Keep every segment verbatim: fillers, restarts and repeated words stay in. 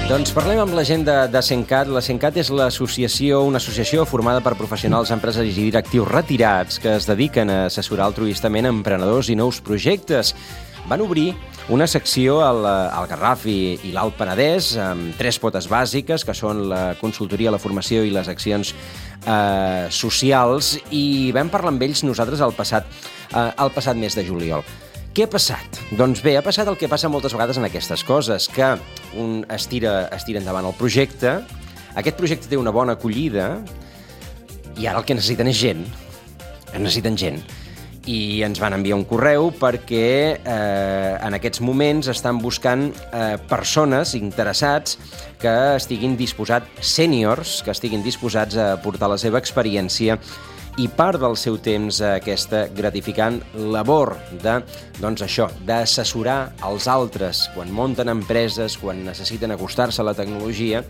Doncs parlem amb la gent de, de Cencat. La Cencat és l'associació, una associació formada per professionals, empresaris i directius retirats que es dediquen a assessorar altruistament emprenedors i nous projectes. Van obrir una secció al, al Garraf i, i l'Alt Penedès amb tres potes bàsiques, que són la consultoria, la formació i les accions eh, socials, i vam parlar amb ells nosaltres el passat, eh, el passat mes de juliol. Què ha passat? Doncs bé, ha passat el que passa moltes vegades en aquestes coses, que un es tira, es tira endavant el projecte, aquest projecte té una bona acollida, i ara el que necessiten és gent. Necessiten gent. I ens van enviar un correu perquè eh, en aquests moments estan buscant eh, persones interessats que estiguin disposats, sèniors, que estiguin disposats a aportar la seva experiència i part del seu temps a aquesta gratificant labor de, doncs això, d'assessorar els altres quan munten empreses, quan necessiten acostar-se a la tecnologia,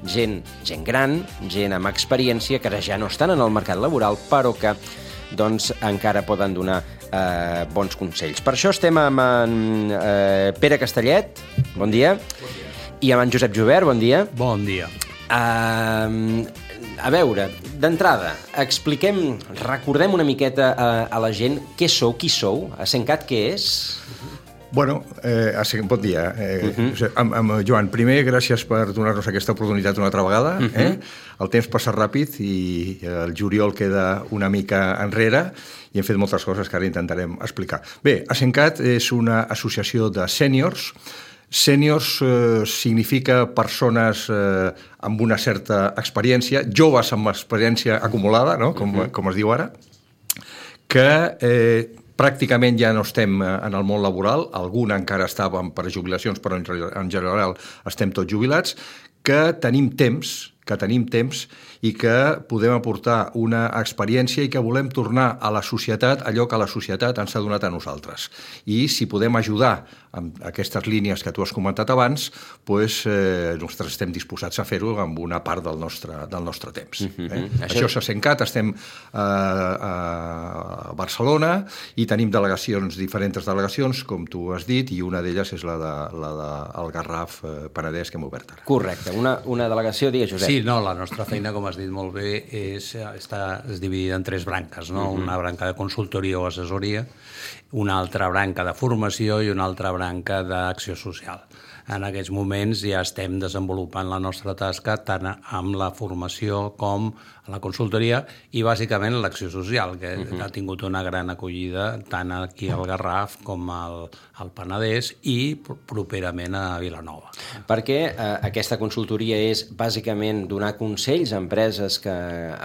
gent, gent gran, gent amb experiència que ara ja no estan en el mercat laboral, però que doncs encara poden donar eh, bons consells. Per això estem amb en eh, Pere Castellet, bon dia, bon dia, i amb en Josep Jubert, bon dia. Bon dia. Uh, a veure, d'entrada, expliquem, recordem una miqueta a, a la gent què sou, qui sou, a Cencat què és? Bueno, eh, bon dia. Eh, uh-huh. amb, amb Joan, primer, gràcies per donar-nos aquesta oportunitat una altra vegada. Uh-huh. eh? El temps passa ràpid i el juliol queda una mica enrere i hem fet moltes coses que ara intentarem explicar. Bé, a Cencat és una associació de sèniors. Sèniors eh, significa persones eh, amb una certa experiència, joves amb experiència acumulada, no? com, uh-huh. com es diu ara, que eh, pràcticament ja no estem en el món laboral, algun encara estàvem per jubilacions, però en, en general estem tots jubilats, que tenim temps, que tenim temps i que podem aportar una experiència i que volem tornar a la societat allò que la societat ens ha donat a nosaltres. I si podem ajudar amb aquestes línies que tu has comentat abans, doncs, eh, nosaltres estem disposats a fer-ho amb una part del nostre, del nostre temps. Uh-huh. eh? Això, Això s'ha Cencat, estem eh, a Barcelona i tenim delegacions, diferents delegacions, com tu has dit, i una d'elles és la de, la de el Garraf eh, Penedès que hem obert ara. Correcte, una, una delegació, digues, Josep. Sí, no, la nostra feina, com has dit molt bé, és, està, és dividida en tres branques, no? Uh-huh. Una branca de consultoria o assessoria, una altra branca de formació i una altra branca d'acció social. En aquests moments ja estem desenvolupant la nostra tasca tant amb la formació com a la consultoria i bàsicament l'acció social, que uh-huh. ha tingut una gran acollida tant aquí al Garraf com al, al Penedès i properament a Vilanova. Perquè eh, aquesta consultoria és bàsicament donar consells a empreses que,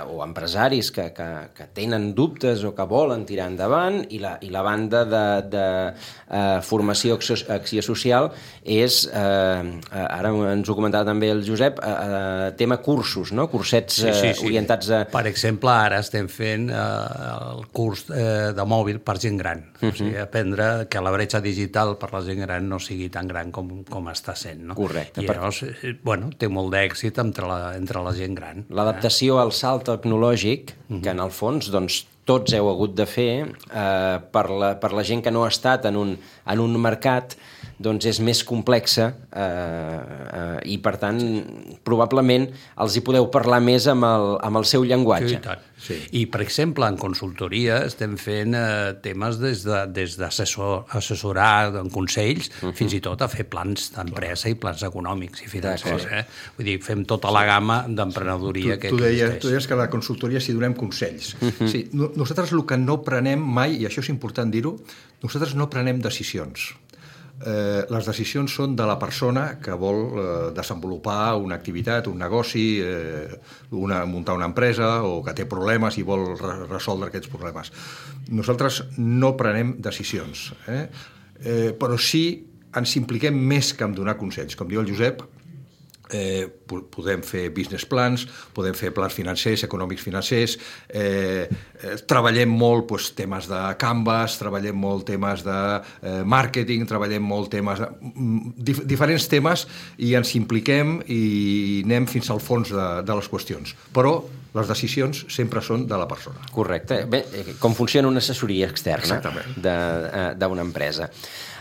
o empresaris que, que, que tenen dubtes o que volen tirar endavant, i la, i la banda de, de eh, formació acció, acció social és, eh, ara ens ho comentava també el Josep, eh, tema cursos, no? Cursets eh, sí, sí, sí. orientats a... Per exemple, ara estem fent eh, el curs eh, de mòbil per gent gran. Uh-huh. O sigui, aprendre que la bretxa digital per la gent gran no sigui tan gran com, com està sent. No? Correcte. I llavors, per... bueno, té molt d'èxit entre la, entre la gent gran. L'adaptació eh? al salt tecnològic, uh-huh. que en el fons, doncs, tots heu hagut de fer eh, per, la, per la gent que no ha estat en un, en un mercat, doncs és més complexa eh, eh, i, per tant, probablement els hi podeu parlar més amb el, amb el seu llenguatge. Sí, tant. Sí. I, per exemple, en consultoria estem fent eh, temes des de, des d'assessor, assessorar en consells, uh-huh. fins i tot a fer plans d'empresa i plans econòmics i financers. Eh? Vull dir, fem tota la gamma d'emprenedoria tu, que tu deies, existeix. Tu deies que a la consultoria s'hi donem consells. Uh-huh. Sí, no, nosaltres el que no prenem mai, i això és important dir-ho, nosaltres no prenem decisions. Eh, les decisions són de la persona que vol eh, desenvolupar una activitat, un negoci, eh, una, muntar una empresa o que té problemes i vol re resoldre aquests problemes. Nosaltres no prenem decisions, eh? Eh, però sí ens impliquem més que en donar consells. Com diu el Josep, Eh, podem fer business plans, podem fer plans financers, econòmics financers, eh, eh, treballem molt doncs, temes de Canvas, treballem molt temes de eh, màrqueting, treballem molt temes de, dif diferents temes i ens impliquem i anem fins al fons de, de les qüestions. Però les decisions sempre són de la persona. Correcte. Bé, com funciona una assessoria externa d'una empresa.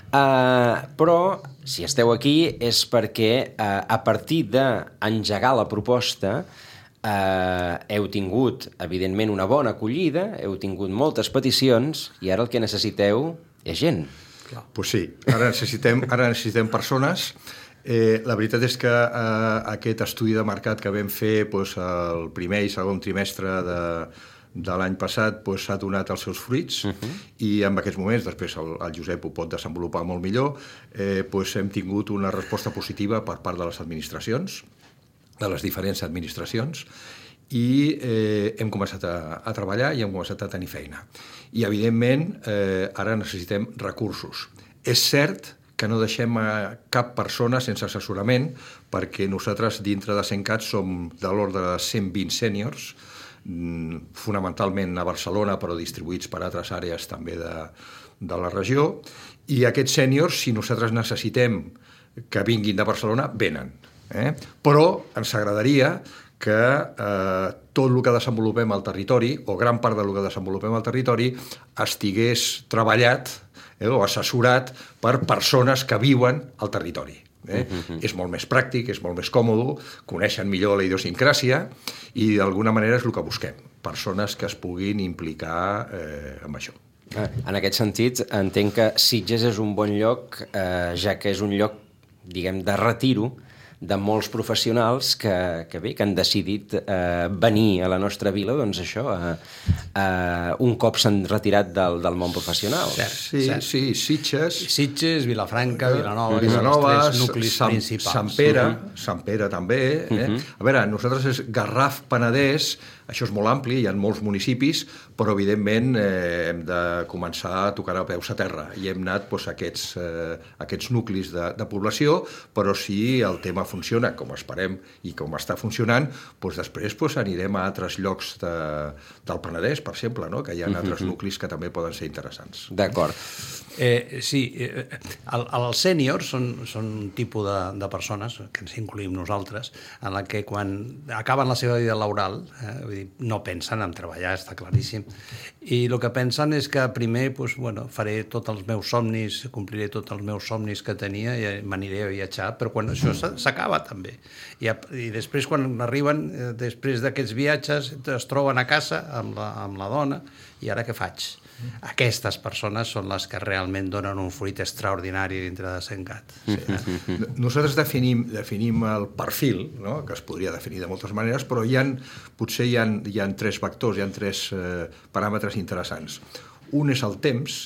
Uh, però, si esteu aquí, és perquè uh, a partir d'engegar la proposta uh, heu tingut, evidentment, una bona acollida, heu tingut moltes peticions i ara el que necessiteu és gent. Doncs pues sí, ara necessitem, ara necessitem persones. Eh, la veritat és que eh, aquest estudi de mercat que vam fer pues, el primer i segon trimestre de de l'any passat s'ha pues, donat els seus fruits uh -huh. i en aquests moments, després el, el Josep ho pot desenvolupar molt millor, eh, pues, hem tingut una resposta positiva per part de les administracions, de les diferents administracions, i eh, hem començat a, a treballar i hem començat a tenir feina. I, evidentment, eh, ara necessitem recursos. És cert que no deixem a cap persona sense assessorament, perquè nosaltres, dintre de CENCAT, som de l'ordre de cent vint sèniors, fonamentalment a Barcelona, però distribuïts per altres àrees també de, de la regió, i aquests sèniors, si nosaltres necessitem que vinguin de Barcelona, venen. Eh? Però ens agradaria que eh, tot el que desenvolupem al territori, o gran part del que desenvolupem al territori, estigués treballat eh, o assessorat per persones que viuen al territori. Eh? Uh-huh. És molt més pràctic, és molt més còmode, coneixen millor la idiosincràsia i d'alguna manera és el que busquem, persones que es puguin implicar eh, amb això. En aquest sentit, entenc que Sitges és un bon lloc, eh, ja que és un lloc, diguem, de retiro de molts professionals que, que bé, que han decidit eh, venir a la nostra vila, doncs això, eh, eh, un cop s'han retirat del, del món professional. Cert, sí, cert. sí, Sitges... Sitges, Vilafranca, Vilanova, Vilanova, els tres nuclis Sant, principals. Sant Pere, uh -huh. Sant Pere també. Eh? Uh -huh. A veure, nosaltres és Garraf, Penedès, això és molt ampli, hi ha molts municipis, però evidentment eh, hem de començar a tocar a peus a terra i hem anat doncs, a aquests, eh, aquests nuclis de, de població, però si el tema funciona com esperem i com està funcionant, doncs després doncs, anirem a altres llocs de, del Penedès, per exemple, no? Que hi ha altres nuclis que també poden ser interessants. D'acord. Eh, sí, eh, el, els sèniors són, són un tipus de, de persones, que ens incluïm nosaltres, en la que quan acaben la seva vida laboral, eh, vull dir, no pensen en treballar, està claríssim, i el que pensen és que primer doncs, bueno, faré tots els meus somnis, compliré tots els meus somnis que tenia i m'aniré a viatjar, però quan això s'acaba també. I, i després quan arriben, eh, després d'aquests viatges, es troben a casa amb la, amb la dona, i ara què faig? Aquestes persones són les que realment donen un fruit extraordinari dintre de CENCAT. Sí, eh? Nosaltres definim, definim el perfil, no? Que es podria definir de moltes maneres, però hi ha, potser hi ha, hi ha tres vectors, hi ha tres eh, paràmetres interessants. Un és el temps.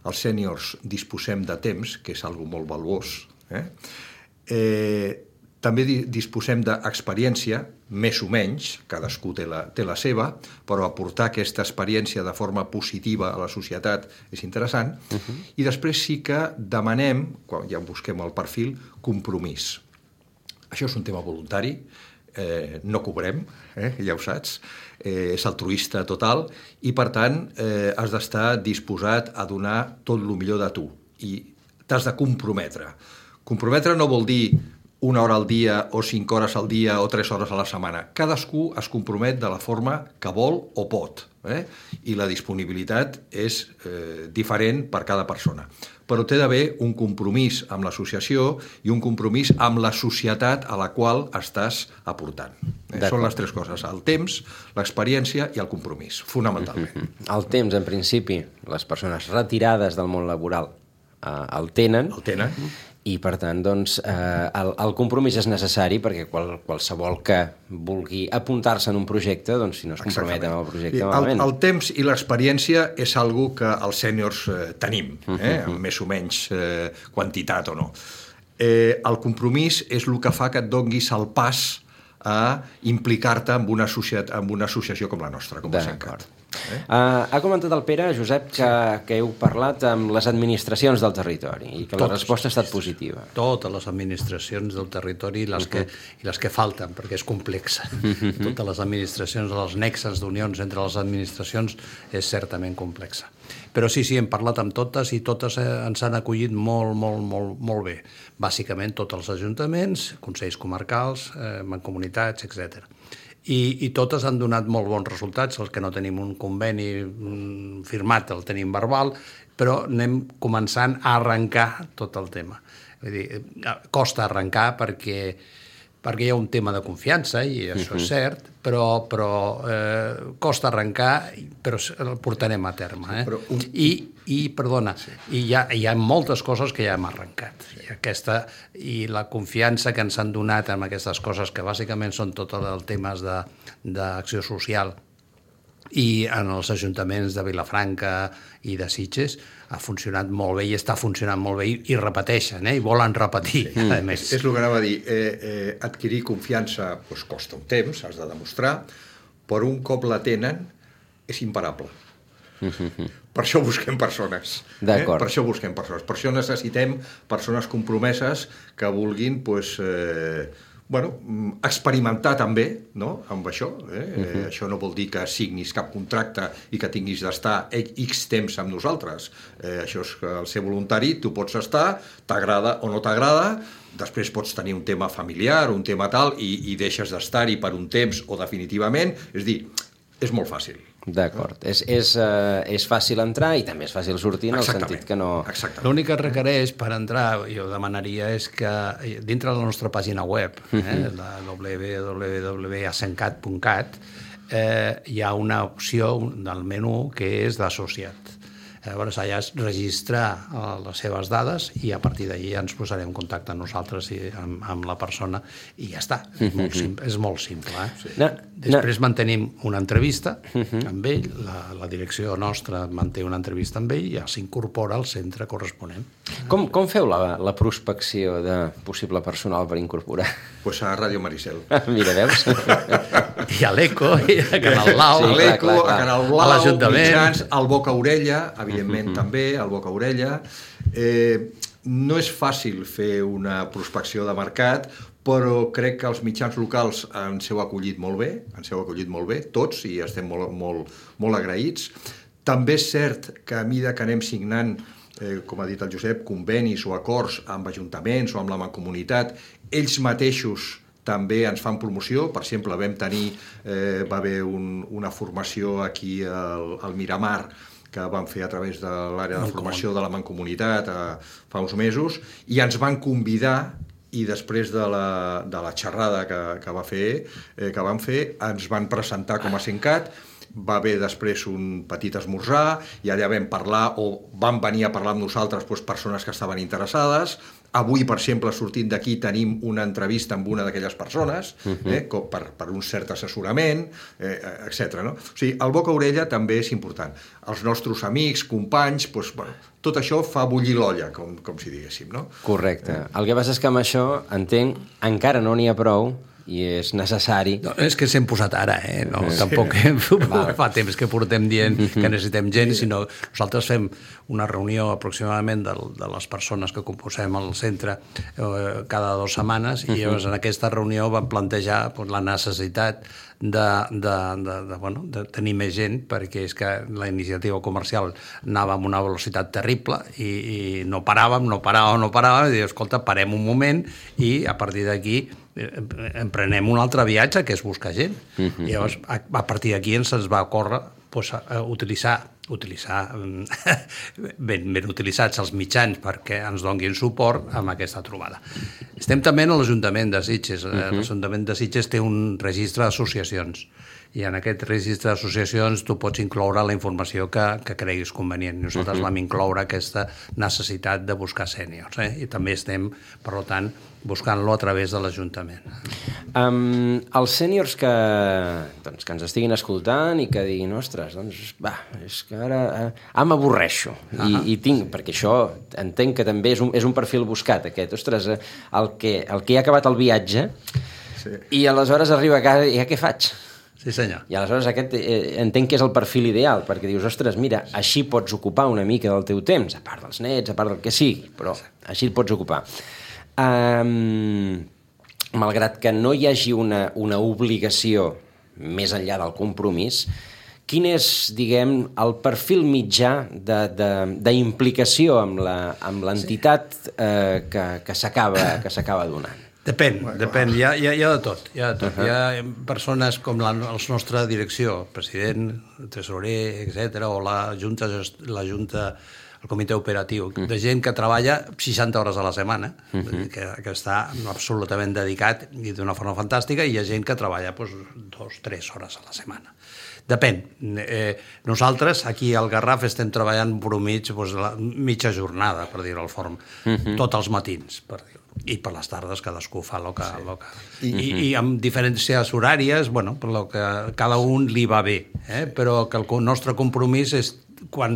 Els sèniors disposem de temps, que és algo molt valuós. Eh? Eh, també disposem d'experiència, més o menys, cadascú té la, té la seva, però aportar aquesta experiència de forma positiva a la societat és interessant. Uh-huh. I després sí que demanem, quan ja busquem el perfil, compromís. Això és un tema voluntari, eh, no cobrem, eh, ja ho saps, eh, és altruista total i, per tant, eh, has d'estar disposat a donar tot el millor de tu i t'has de comprometre. Comprometre no vol dir una hora al dia o cinc hores al dia o tres hores a la setmana. Cadascú es compromet de la forma que vol o pot, eh? I la disponibilitat és eh, diferent per cada persona. Però té d'haver un compromís amb l'associació i un compromís amb la societat a la qual estàs aportant. Eh? Són les tres coses, el temps, l'experiència i el compromís, fonamentalment. El temps, en principi, les persones retirades del món laboral eh, el tenen. El tenen. I, per tant, doncs, eh, el, el compromís és necessari perquè qual, qualsevol que vulgui apuntar-se en un projecte, doncs, si no es compromet amb el projecte, malament. El, el temps i l'experiència és algo que els sèniors eh, tenim, eh, amb més o menys eh, quantitat o no. Eh, el compromís és el que fa que et donguis el pas a implicar-te en una, associat, en una associació com la nostra, com a CENCAT. Eh? Uh, ha comentat el Pere, Josep, que, que heu parlat amb les administracions del territori i que totes, la resposta ha estat positiva. Totes les administracions del territori i les, uh-huh. que, i les que falten, perquè és complexa. Uh-huh. Totes les administracions, els nexes d'unions entre les administracions és certament complexa. Però sí, sí, hem parlat amb totes i totes ens han acollit molt, molt, molt, molt bé. Bàsicament tots els ajuntaments, consells comarcals, eh, mancomunitats, etcètera. I, i totes han donat molt bons resultats. Els que no tenim un conveni firmat el tenim verbal, però anem començant a arrencar tot el tema. Vull dir, costa arrencar perquè, perquè hi ha un tema de confiança, i això uh-huh. és cert, però, però eh, costa arrencar, però el portarem a terme. Eh? Un... I, i, perdona, sí. i hi, ha, hi ha moltes coses que ja hem arrencat. I, aquesta, i la confiança que ens han donat amb aquestes coses, que bàsicament són tots els temes d'acció social, i en els ajuntaments de Vilafranca i de Sitges ha funcionat molt bé i està funcionant molt bé i, i repeteixen, eh? I volen repetir. Sí. A més. És, és el que anava a dir. Eh, eh, adquirir confiança pues, costa un temps, has de demostrar, però un cop la tenen és imparable. Mm-hmm. Per això busquem persones. Eh? Per això busquem persones. Per això necessitem persones compromeses que vulguin pues, eh, bueno, experimentar també, no?, amb això. Eh? Uh-huh. eh, això no vol dir que signis cap contracte i que tinguis d'estar X temps amb nosaltres. Eh, això és que al ser voluntari tu pots estar, t'agrada o no t'agrada, després pots tenir un tema familiar, un tema tal, i, i deixes d'estar-hi per un temps o definitivament. És dir, és molt fàcil. D'acord. És, és, uh, és fàcil entrar i també és fàcil sortir en Exactament. el sentit que no... L'únic que requereix per entrar, jo demanaria, és que dintre de la nostra pàgina web, eh, uh-huh. la w w w punt asencat punt cat, eh, hi ha una opció del menú que és d'associat. Llavors, allà es registra les seves dades i a partir d'allí ja ens posarem en contacte nosaltres i amb, amb la persona i ja està. És molt simple. És molt simple eh? Sí. No, Després no. mantenim una entrevista uh-huh. amb ell, la, la direcció nostra manté una entrevista amb ell i ja s'incorpora al centre corresponent. Com, com feu la, la prospecció de possible personal per incorporar? Pues a Ràdio Maricel. Mira, veus? I a l'Eco, i a Canal Blau, sí, a l'Eco, a Canal Blau, a l'Ajuntament, mitjans, al Boca Orella, evidentment uh-huh. també, al Boca Orella. Eh, no és fàcil fer una prospecció de mercat, però crec que els mitjans locals ens heu acollit molt bé, ens heu acollit molt bé, tots, i estem molt, molt, molt agraïts. També és cert que a mesura que anem signant, eh, com ha dit el Josep, convenis o acords amb ajuntaments o amb la mancomunitat, ells mateixos també ens fan promoció. Per exemple, vam tenir, eh, va haver un, una formació aquí al, al Miramar que vam fer a través de l'àrea de formació de la Mancomunitat eh, fa uns mesos, i ens van convidar, i després de la, de la xerrada que, que, va fer, eh, que van fer, ens van presentar com a Asencat. Va haver després un petit esmorzar i allà vam parlar, o van venir a parlar amb nosaltres doncs, persones que estaven interessades. Avui, per exemple, sortint d'aquí, tenim una entrevista amb una d'aquelles persones, uh-huh. eh, per, per un cert assessorament, eh, etcètera. No? O sigui, el boca-orella també és important. Els nostres amics, companys, doncs, bueno, tot això fa bullir l'olla, com, com si diguéssim. No? Correcte. Eh. El que passa és que amb això, entenc, encara no n'hi ha prou, i és necessari... No, és que s'hem posat ara, eh? No, sí. Tampoc hem, fa temps que portem dient que necessitem gent, sinó nosaltres fem una reunió aproximadament de, de les persones que composem el centre eh, cada dues setmanes, i llavors en aquesta reunió vam plantejar pues, la necessitat de, de, de, de, bueno, de tenir més gent, perquè és que la iniciativa comercial anava amb una velocitat terrible i, i no paràvem, no paràvem, no paràvem, i diu, escolta, parem un moment i a partir d'aquí emprenem un altre viatge, que és buscar gent. Uh-huh. I llavors, a, a partir d'aquí ens va córrer pues, a utilitzar, utilitzar ben, ben utilitzats els mitjans perquè ens donguin suport amb aquesta trobada. Estem també en l'Ajuntament de Sitges. Uh-huh. L'Ajuntament de Sitges té un registre d'associacions, i en aquest registre d'associacions tu pots incloure la informació que, que creguis convenient. Nosaltres uh-huh. vam incloure aquesta necessitat de buscar sèniors, eh? I també estem, per tant, buscant-lo a través de l'Ajuntament. Um, els sèniors que, doncs, que ens estiguin escoltant i que diguin, ostres, doncs, va, és que ara eh, ah, m'avorreixo. I, uh-huh. i tinc, perquè això entenc que també és un, és un perfil buscat, aquest, ostres, eh, el, que, el que ha acabat el viatge sí. i aleshores arriba a casa i ja què faig? Sí, senyor. I aleshores aquest eh, entenc que és el perfil ideal, perquè dius, ostres, mira, així pots ocupar una mica del teu temps, a part dels nets, a part del que sigui, però així et pots ocupar. Um, malgrat que no hi hagi una, una obligació més enllà del compromís, quin és, diguem, el perfil mitjà d'implicació amb la, amb l'entitat sí. eh, que, que s'acaba que s'acaba donant? Depèn, bueno, depèn. Hi ha, hi, ha, hi ha de tot. Hi ha, de tot. Uh-huh. Hi ha persones com la, la nostra direcció, president, tesorer, etcètera, o la junta, la junta el comitè operatiu, mm. de gent que treballa seixanta hores a la setmana, mm-hmm. que, que està absolutament dedicat i d'una forma fantàstica, i hi ha gent que treballa doncs, dos, tres hores a la setmana. Depèn. Eh, nosaltres, aquí al Garraf, estem treballant per mig, doncs, la mitja jornada, per dir-ho al forn, mm-hmm. tots els matins, per dir-ho. I per les tardes cadascú fa el que... Sí. Lo que... I, I, I amb diferències horàries, bueno, per lo que cada un li va bé, eh? Però que el nostre compromís és quan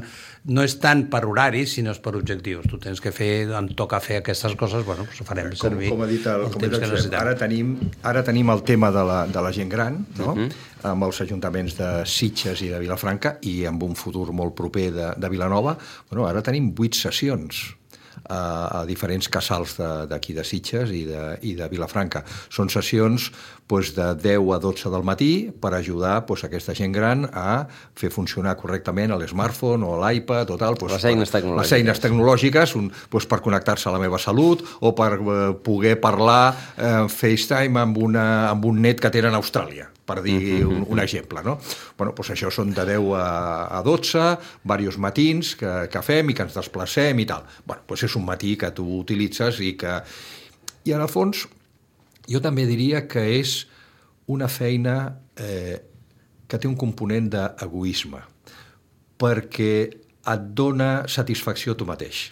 no és tant per horaris, sinó per objectius. Tu tens que fer, em toca fer aquestes coses, bueno, doncs farem com, servir com ha dit el, el com temps que necessitem. Ara tenim, ara tenim el tema de la, de la gent gran, no? Uh-huh. Amb els ajuntaments de Sitges i de Vilafranca, i amb un futur molt proper de, de Vilanova. Bueno, ara tenim vuit sessions a, a diferents casals d'aquí de, de Sitges i de, i de Vilafranca. Són sessions doncs, de deu a dotze del matí per ajudar doncs, aquesta gent gran a fer funcionar correctament l'smartphone o l'iPad o tal. Doncs, les eines tecnològiques. Les eines tecnològiques un, doncs, per connectar-se a la meva salut o per eh, poder parlar eh, FaceTime amb, una, amb un net que tenen a Austràlia, per dir un, un exemple, no? Bueno, doncs això són de deu a dotze, diversos matins que, que fem i que ens desplacem i tal. Bueno, doncs és un matí que tu utilitzes i que... I en el fons, jo també diria que és una feina eh, que té un component d'egoisme, perquè et dona satisfacció tu mateix.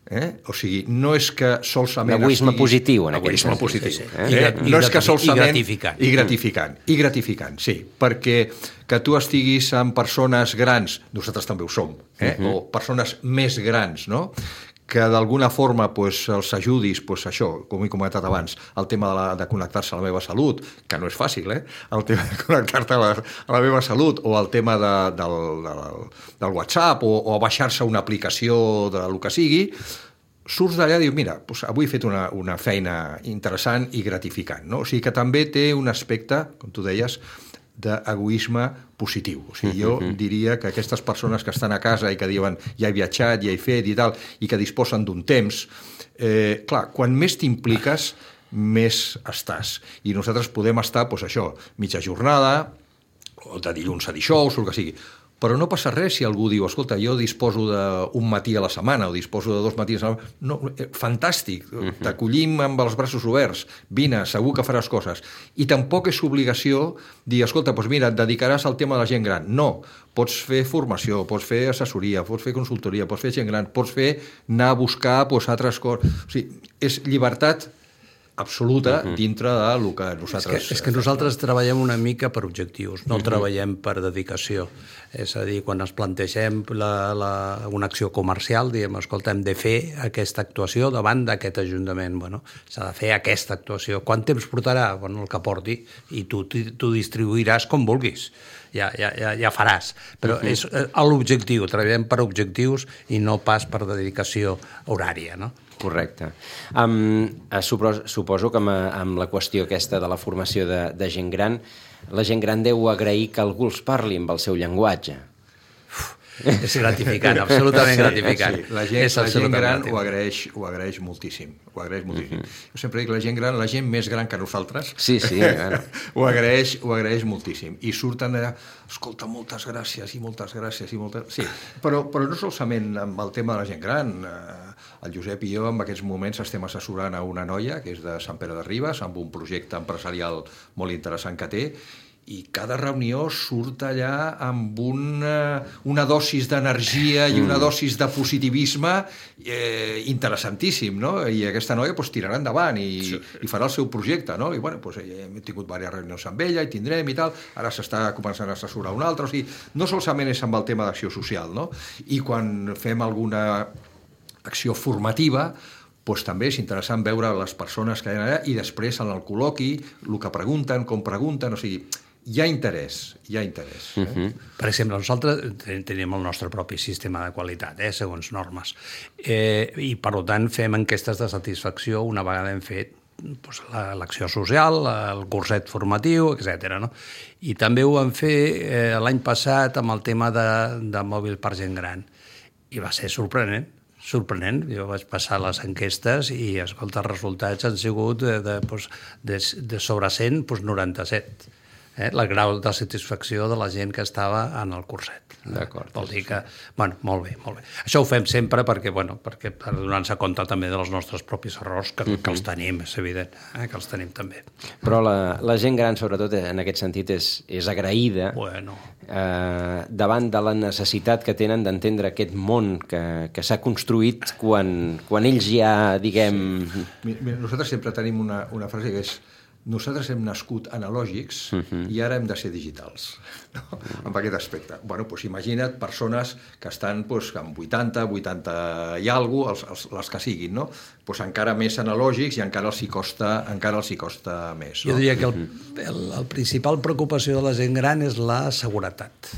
Eh? O sigui, no és que solament... L'egoisme estiguis... positiu, en aquest Egoisme sentit. positiu. Sí, sí. Eh? I, i, no és que solament... I gratificant. I gratificant. I gratificant, sí. Perquè que tu estiguis amb persones grans, nosaltres també ho som, eh? Uh-huh. O persones més grans, no?, que d'alguna forma pues, els ajudis, pues, això, com he comentat abans, el tema de, la, de connectar-se a la meva salut, que no és fàcil, eh? El tema de connectar-te a, la, a la meva salut, o el tema de, del, del, del WhatsApp, o, o baixar-se una aplicació de lo que sigui, surts d'allà i dius, mira, doncs avui he fet una, una feina interessant i gratificant, no? O sigui que també té un aspecte, com tu deies, d'egoisme positiu. O sigui, jo uh-huh. diria que aquestes persones que estan a casa i que diuen ja he viatjat, ja he fet i tal, i que disposen d'un temps, eh, clar, quan més t'impliques, més estàs. I nosaltres podem estar, doncs això, mitja jornada, o de dilluns a dijous, o el que sigui. Però no passa res si algú diu, escolta, jo disposo d'un matí a la setmana o disposo de dos matins a la setmana. No, eh, fantàstic, uh-huh. t'acollim amb els braços oberts, vine, segur que faràs coses. I tampoc és obligació dir, escolta, doncs mira, et dedicaràs al tema de la gent gran. No, pots fer formació, pots fer assessoria, pots fer consultoria, pots fer gent gran, pots fer anar a buscar doncs, altres coses. O sigui, és llibertat absoluta uh-huh. dintre de lo que nosaltres... És que, és que nosaltres treballem una mica per objectius, no uh-huh. treballem per dedicació. És a dir, quan ens plantegem la, la, una acció comercial, diem, escolta, hem de fer aquesta actuació davant d'aquest ajuntament. Bueno, s'ha de fer aquesta actuació. Quant temps portarà? Bueno, el que porti, i tu, tu distribuiràs com vulguis. Ja, ja, ja, ja faràs. Però uh-huh. és l'objectiu, treballem per objectius i no pas per dedicació horària, no? Correcte. Um, suposo, suposo que amb, amb la qüestió aquesta de la formació de, de gent gran, la gent gran deu agrair que algú els parli amb el seu llenguatge. Uf, és gratificant, absolutament gratificant. Sí, la gent, la gent gran ho agraeix, ho agraeix moltíssim. Ho agraeix moltíssim. Uh-huh. Jo sempre dic la gent gran, la gent més gran que nosaltres, sí, sí, bueno. ho, agraeix, ho agraeix moltíssim. I surten allà, escolta, moltes gràcies i moltes gràcies i moltes... Sí, però, però no solament amb el tema de la gent gran. El Josep i jo en aquests moments estem assessorant a una noia que és de Sant Pere de Ribes amb un projecte empresarial molt interessant que té, i cada reunió surt allà amb una, una dosis d'energia i una dosis de positivisme eh, interessantíssim, no? I aquesta noia pues, tirarà endavant i, sí, sí. i farà el seu projecte, no? I bueno, pues, hem tingut diverses reunions amb ella i tindrem i tal, ara s'està començant a assessorar un altre, o sigui, no solament és amb el tema d'acció social, no? I quan fem alguna acció formativa, doncs també és interessant veure les persones que hi ha allà i després en el col·loqui, el que pregunten, com pregunten, o sigui, hi ha interès, hi ha interès. Eh? Uh-huh. Per exemple, nosaltres tenim el nostre propi sistema de qualitat, eh, segons normes, eh, i per tant fem enquestes de satisfacció una vegada hem fet doncs, l'acció social, el curset formatiu, etcètera. No? I també ho vam fer eh, l'any passat amb el tema de, de mòbil per gent gran, i va ser sorprenent. sorprenent. Jo vaig passar les enquestes i, escolta, els resultats han sigut de, de, de, de sobre cent, doncs noranta-set. eh, el grau de satisfacció de la gent que estava en el curset. D'acord. Vol dir que, bueno, molt bé, molt bé. Això ho fem sempre perquè, bueno, perquè per donar-se compte també dels nostres propis errors, que, uh-huh. que els tenim, és evident, eh, que els tenim també. Però la, la gent gran, sobretot, en aquest sentit, és, és agraïda bueno. eh, davant de la necessitat que tenen d'entendre aquest món que, que s'ha construït quan, quan ells ja, diguem... Sí. Mira, nosaltres sempre tenim una, una frase que és: nosaltres hem nascut analògics uh-huh. i ara hem de ser digitals, no? Uh-huh. Amb aquest aspecte. Bueno, doncs imagina't persones que estan doncs, amb vuitanta, vuitanta i alguna cosa, els, els, les que siguin, no? Doncs encara més analògics i encara els hi costa, encara els hi costa més. No? Jo diria que el, el, el principal preocupació de la gent gran és la seguretat.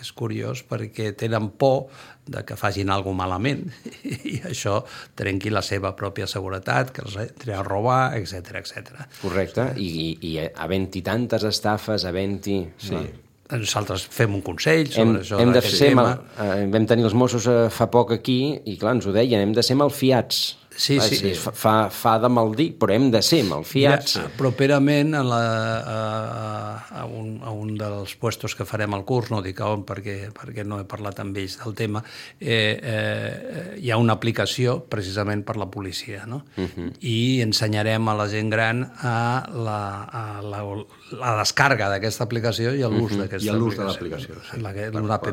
És curiós perquè tenen por de que facin alguna cosa malament i això trenqui la seva pròpia seguretat, que els entri a robar, etcètera, etcètera. Correcte, i, i, i havent-hi tantes estafes, havent-hi... Sí. No. Nosaltres fem un consell sobre hem, això hem de d'aquest ser tema. Mal, eh, vam tenir els Mossos eh, fa poc aquí i clar, ens ho deien, hem de ser malfiats. Sí, Clar, sí. sí. Fa, fa de mal dir, però hem de ser malfiats. Mira, properament a, la, a, a, un, a un dels puestos que farem al curs, no dic on perquè, perquè no he parlat amb ells del tema, eh, eh, hi ha una aplicació precisament per la policia, no? Uh-huh. I ensenyarem a la gent gran a la, a la, la descàrrega d'aquesta aplicació i l'ús uh-huh. d'aquesta aplicació. I l'ús de l'aplicació. Sí. L'app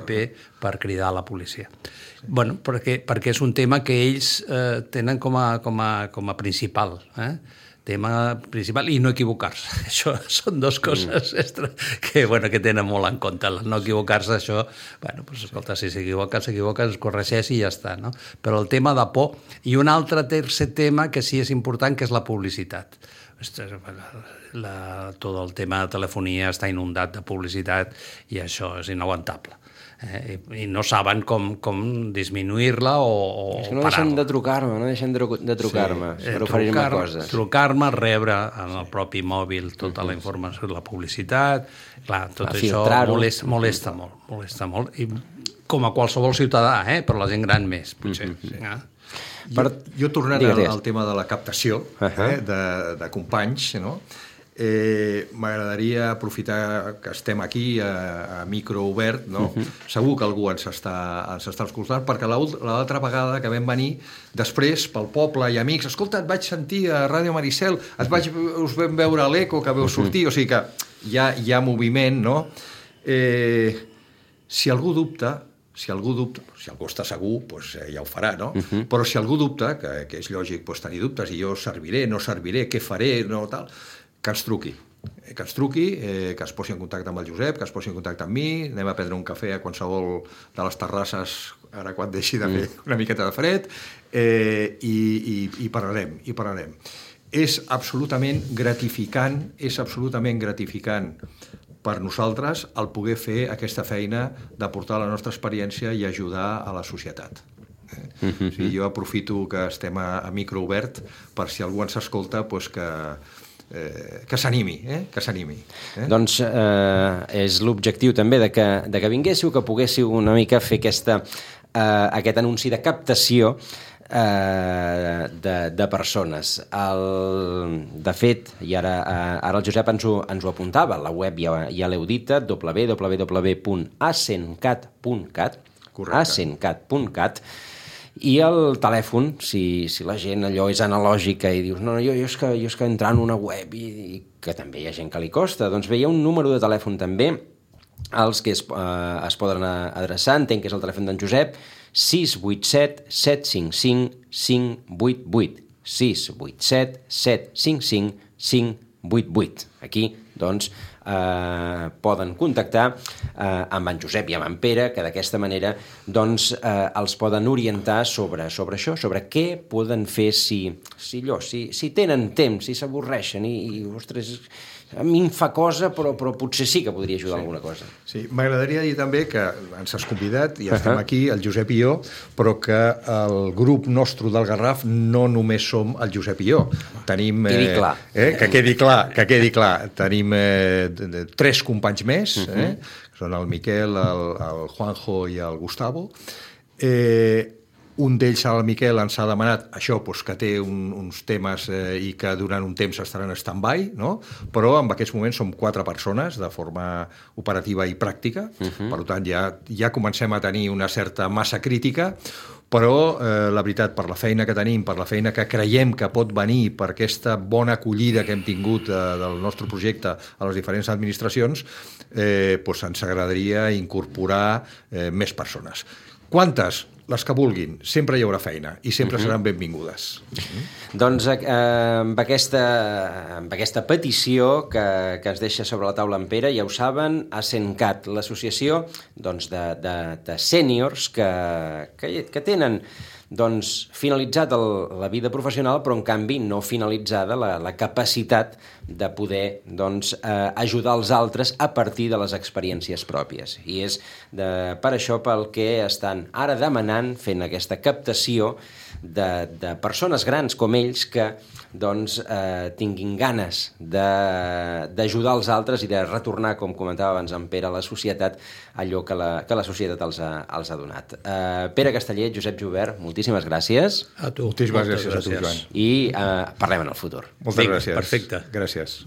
per cridar a la policia. Sí. Bueno, perquè, perquè és un tema que ells eh, tenen com a, com a, com a principal, eh? tema principal, i no equivocar-se. Això són dues coses mm. extra que, bueno, que tenen molt en compte. No equivocar-se, això, bueno, pues, escolta, si s'equivoca, s'equivoca, es corregeix i ja està, no? Però el tema de por, i un altre tercer tema que sí és important, que és la publicitat. La, tot el tema de telefonia està inundat de publicitat i això és inaguantable. Eh, i no saben com, com disminuir-la o, o és que no parar-la. deixen de trucar-me, no deixen de, de trucar-me sí. per oferir-me coses. Trucar-me, rebre en el propi mòbil tota la informació de la publicitat, clar, tot a això molesta, molesta molt, molesta molt, i com a qualsevol ciutadà, eh? però la gent gran més, potser. Mm-hmm. Sí. Eh? Per... Jo, jo tornant al, al tema de la captació uh-huh. eh? de, de companys, no? Eh, m'agradaria aprofitar que estem aquí a, a micro obert, no? Uh-huh. Segur que algú ens està, ens està escoltant, perquè l'altra vegada que vam venir després pel poble i amics, escolta, et vaig sentir a Ràdio Maricel, et vaig, us vam veure a l'Eco que veu sortir, uh-huh. o sigui que hi ha, hi ha moviment, no? Eh, si algú dubta, si algú dubta, si algú està segur, doncs ja ho farà, no? Uh-huh. Però si algú dubta, que, que és lògic doncs, tenir dubtes, i jo serviré, no serviré, què faré, no tal, que ens truqui, que ens truqui, eh, que es posi en contacte amb el Josep, que es posi en contacte amb mi, anem a prendre un cafè a qualsevol de les terrasses, ara quan deixi de fer mm. una miqueta de fred, eh, i, i, i parlarem, i parlarem. És absolutament gratificant, és absolutament gratificant per nosaltres el poder fer aquesta feina d'aportar la nostra experiència i ajudar a la societat. Eh? Mm-hmm. O sigui, jo aprofito que estem a, a micro obert per si algú ens escolta, doncs que Eh, que s'animi, eh? que s'animi. Eh? Doncs eh, és l'objectiu també de que, de que vinguéssiu, que poguéssiu una mica fer aquesta, eh, aquest anunci de captació eh, de, de persones. El, de fet, i ara, eh, ara el Josep ens ho, ens ho apuntava, la web ja, ja l'heu dita, w w w punt asencat punt cat, asencat punt cat, i el telèfon, si, si la gent allò és analògica i dius no, no jo, jo, és que, jo és que entrar en una web i, i que també hi ha gent que li costa, doncs bé, hi ha un número de telèfon també als que es, eh, es poden adreçar, entenc que és el telèfon d'en Josep, sis vuit set, set cinc cinc, cinc vuit vuit, sis vuit set, set cinc cinc, cinc vuit vuit. Aquí, doncs, eh, poden contactar eh, amb en Josep i amb en Pere, que d'aquesta manera doncs, eh, els poden orientar sobre, sobre això, sobre què poden fer si, si, allò, si, si tenen temps, si s'avorreixen i, i, ostres, a mi em fa cosa, però, però potser sí que podria ajudar sí. alguna cosa. Sí, m'agradaria dir també que ens has convidat i estem uh-huh. aquí, el Josep i jo, però que el grup nostre del Garraf no només som el Josep i jo. Tenim... Quedi clar. Eh, que quedi clar, que quedi clar. Tenim eh, de, de, tres companys més, uh-huh. eh, són el Miquel, el, el Juanjo i el Gustavo. Eh, un d'ells, el Miquel, ens ha demanat això, doncs, que té un, uns temes eh, i que durant un temps estaran en stand-by, no? Però en aquests moments som quatre persones de forma operativa i pràctica, uh-huh. Per tant ja, ja comencem a tenir una certa massa crítica, però eh, la veritat, per la feina que tenim, per la feina que creiem que pot venir, per aquesta bona acollida que hem tingut eh, del nostre projecte a les diferents administracions, eh, doncs ens agradaria incorporar eh, més persones. Quantes? Les que vulguin. Sempre hi haurà feina i sempre uh-huh. seran benvingudes. Uh-huh. Doncs eh, amb, aquesta, amb aquesta petició que, que es deixa sobre la taula en Pere, ja ho saben, ASENCAT, l'associació doncs, de, de, de sèniors que, que, que tenen doncs, finalitzat el, la vida professional, però en canvi no finalitzada la, la capacitat de poder doncs, eh, ajudar els altres a partir de les experiències pròpies. I és de, per això pel que estan ara demanant, fent aquesta captació de, de persones grans com ells que doncs, eh, tinguin ganes d'ajudar els altres i de retornar, com comentava abans en Pere, a la societat allò que la, que la societat els ha, els ha donat. Eh, Pere Casteller, Josep Jubert, moltíssimes gràcies. A tu. Moltíssimes gràcies, gràcies a tu, Joan. I eh, parlem en el futur. Moltes gràcies. Perfecte. Gràcies.